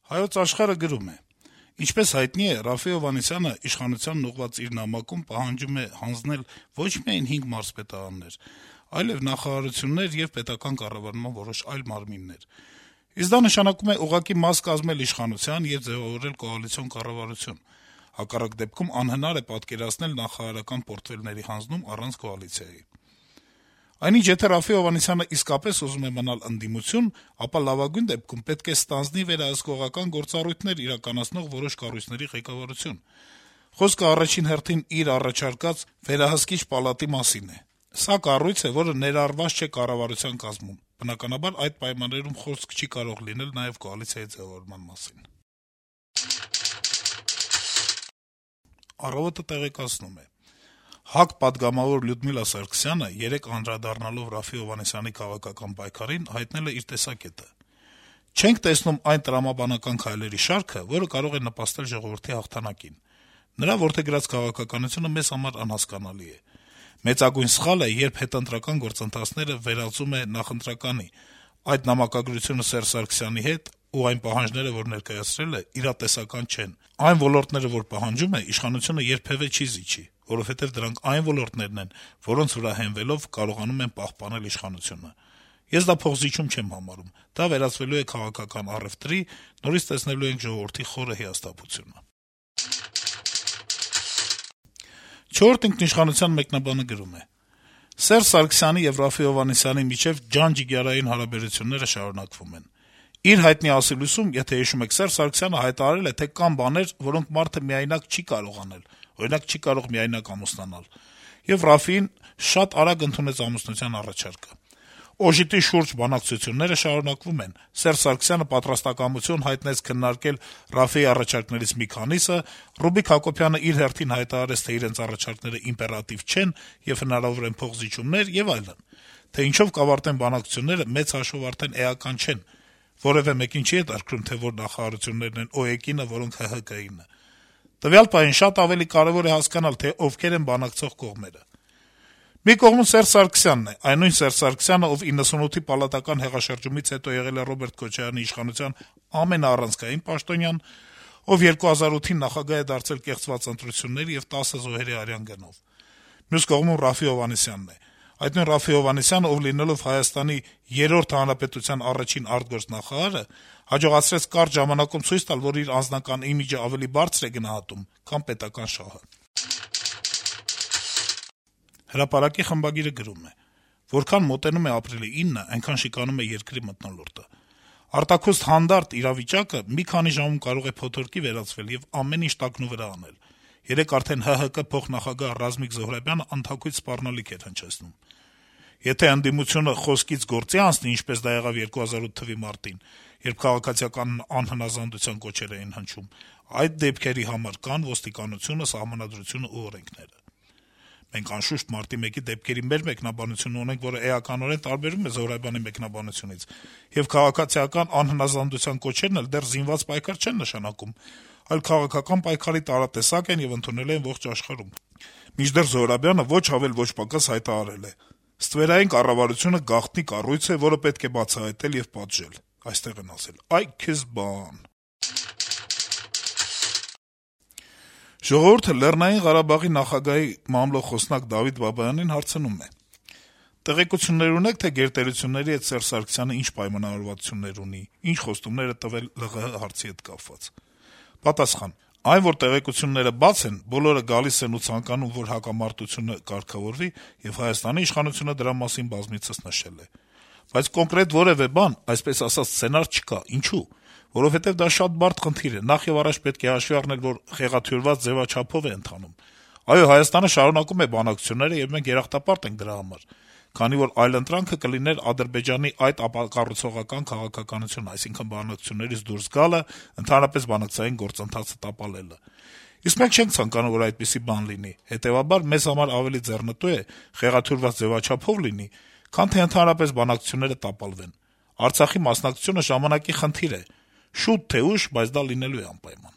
Հայոց աշխարհը գրում է. Ինչպես հայտնի է, Րաֆֆի Հովհաննիսյանը իշխանությանն ուղղված իր նամակում պահանջում է հանձնել ոչ միայն 5 մարզպետարաններ, այլև նախարարություններ եւ պետական կառավարման որոշ այլ մարմիններ: Իսկ դա նշանակում է ուղղակի մաս կազմել իշխանության եւ ձեւավորել կոալիցիոն կառավարություն: Հակառակ դեպքում անհնար է պատկերացնել նախարարական պորտֆելների հանձնում առանց կոալիցիայի: Այնինչ, եթե Րաֆֆի Հովհաննիսյանը իսկապես ուզում է մնալ ընդդիմություն, ապա լավագույն դեպքում պետք է ստանձնի վերահսկողական գործառույթներ իրականացնող որոշ կառույցների ղեկավարություն: Խոսքը առաջին հերթին իր առաջարկած վերահսկիչ պալատի մասին է: Սա կառույց է, որը ներառված չէ կառավարության կազմում: Բնականաբար, այդ պայմաններում խոսք չի կարող լինել նաեւ կոալիցիայի ձեւավորման մասին: «Առավոտ»-ը տեղեկացնում է. - ՀԱԿ պատգամավոր Լյուդմիլա Սարգսյանը երեկ անդրադառնալով Րաֆֆի Հովհաննիսյանի քաղաքական պայքարին հայտնել է իր տեսակետը. «Չենք տեսնում այն տրամաբանական քայլերի շարքը, որը կարող է նպաստել ժողովրդի հաղթանակին: Նրա որդեգրած քաղաքականությունը մեզ համար անհասկանալի է: Մեծագույն սխալ է, երբ հետընտրական գործընթացները վերածում է նախընտրականի: Այդ նամակագրությունը Սերժ Սարգսյանի հետ ու այն պահանջները, որ ներկայացրել է, իրատեսական չեն: Այն ոլորտները, որ պահանջում է, իշխանությունը երբեւէ չի զիջի, որովհետեւ դրանք այն ոլորտներն են, որոնց վրա հենվելով կարողանում են պահպանել իշխանությունը: Ես դա փոխզիջում չեմ համարում: Դա վերածվելու է քաղաքական առեւտրի, նորից տեսնելու ենք ժողովրդի խորը հիասթափությունը»: «Չորրորդ ինքնիշխանության» մեկնաբանը գրում է. - «Սերժ Սարգսյանի եւ Րաֆֆի Հովհաննիսյանի միջեւ ջան-ջիգյարային հարաբերությունները շարունակվում են: Իր հայտնի ասելույսում, եթե հիշում եք, Սերժ Սարգսյանը հայտարարել է, թե կան բաներ, որոնք մարդը միայնակ չի կարող անել, օրինակ, չի կարող միայնակ ամուսնանալ: Եվ Րաֆֆին շատ արագ ընդունեց ամուսնության առաջարկը: Օժիտի շուրջ բանակցությունները շարունակվում են: Սերժ Սարգսյանը պատրաստակամություն հայտնեց քննարկել Րաֆֆիի առաջարկներից մի քանիսը, Ռուբիկ Հակոբյանը իր հերթին հայտարարեց, թե իրենց առաջարկները իմպերատիվ չեն եւ հնարավոր են փոխզիջումներ եւ այլն: Թե ինչով կավարտեն բանակցությունները, մեծ հաշվով արդեն էական չէն: Որեւէ մեկին չի հետաքրքրում, թե որ նախարարություններն են ՕԵԿ-ինը, որոնք ՀՀԿ-ինը: Տվյալ պահին շատ ավելի կարեւոր է հասկանալ, թե ովքեր են բանակցող կողմերը: Մի կողմում Սերժ Սարգսյանն է, այն նույն Սերժ Սարգսյանը, ով 98-ի պալատական հեղաշրջումից հետո եղել է Ռոբերտ Քոչարյանի իշխանության ամենաառանցքային պաշտոնյան, ով 2008-ին նախագահ է դարձել կեղծված ընտրությունների եւ 10 զոհերի արյան գնով: Մյուս կողմում Րաֆֆի Հովհաննիսյանն է, այդ նույն Րաֆֆի Հովհաննիսյանը, ով լինելով Հայաստանի 3-րդ հանրապետության առաջին արտգործնախարարը, հաջողացրեց կարճ ժամանակում ցույց տալ, որ իր անձնական իմիջը ավելի բարձր է գնահատում, քան պետական շահը»: «Հրապարակ»-ի խմբագիրը գրում է. - «Որքան մոտենում է ապրիլի 9-ը, այնքան շիկանում է երկրի մթնոլորտը: Արտաքուստ հանդարտ իրավիճակը մի քանի ժամում կարող է փոթորկի վերածվել եւ ամեն ինչ տակնուվրա անել: Երեկ արդեն ՀՀԿ փոխնախագահ Ռազմիկ Զոհրաբյանը անթաքույց սպառնալիք էր հնչեցնում: Եթե ընդդիմությունը խոսքից գործի անցնի, ինչպես դա եղավ 2008 թվականի մարտին, երբ քաղաքացիական անհնազանդության կոչեր էին հնչում, այդ դեպքերի համար կան ոստիկանությունը, սահմանադրությունը ու օրենքները: Մենք, անշուշտ, մարտի 1-ի դեպքերի մեր մեկնաբանությունն ունենք, որը էականորեն տարբերվում է Զոհրաբյանի մեկնաբանությունից, եւ քաղաքացիական անհնազանդության կոչերն էլ դեռ զինված պայքար չեն նշանակում, այլ քաղաքական պայքարի տարատեսակ են եւ ընդունել են ողջ աշխարհում: Մինչդեռ Զոհրաբյանը ոչ ավել, ոչ պակաս հայտարարել է. «Ստվերային կառավարությունը գաղտնի կառույց է, որը պետք է բացահայտել եւ պատժել»: Այստեղ են ասել. «Այ քեզ բան»: «Ժողովուրդ»-ը Լեռնային Ղարաբաղի նախագահի մամլո խոսնակ Դավիթ Բաբայանին հարցնում է. - «Տեղեկություններ ունե՞ք, թե գերտերությունների հետ Սերժ Սարգսյանը ինչ պայմանավորվածություններ ունի, ինչ խոստումներ է տվել ԼՂՀ հարցի հետ կապված»: Պատասխան. - «Այն, որ տեղեկությունները բաց են, բոլորը գալիս են ու ցանկանում, որ հակամարտությունը կարգավորվի, եւ Հայաստանի իշխանությունը դրա մասին բազմիցս նշել է: Բայց կոնկրետ որեւէ բան, այսպես ասած, սցենար չկա: Ինչո՞ւ: Որովհետեւ դա շատ բարդ խնդիր է: Նախ եւ առաջ պետք է հաշվի առնել, որ խեղաթյուրված ձեւաչափով է ընթանում: Այո, Հայաստանը շարունակում է բանակցությունները, եւ մենք երախտապարտ ենք դրա համար, քանի որ այլընտրանքը կլիներ Ադրբեջանի այդ ապակառուցողական քաղաքականությունը, այսինքն բանակցություններից դուրս գալը, ընդհանրապես բանակցային գործընթացը տապալելը: Իսկ մենք չենք ցանկանում, որ այդպիսի բան լինի: Հետեւաբար, մեզ համար ավելի ձեռնտու է խեղաթյուրված ձեւաչափով լինի, քան թե ընդհանրապես բանակցությունները տապալվեն: Արցախի մասնակցությունը ժամանակի խնդիր է: Շուտ թե ուշ, բայց դա լինելու է անպայման»: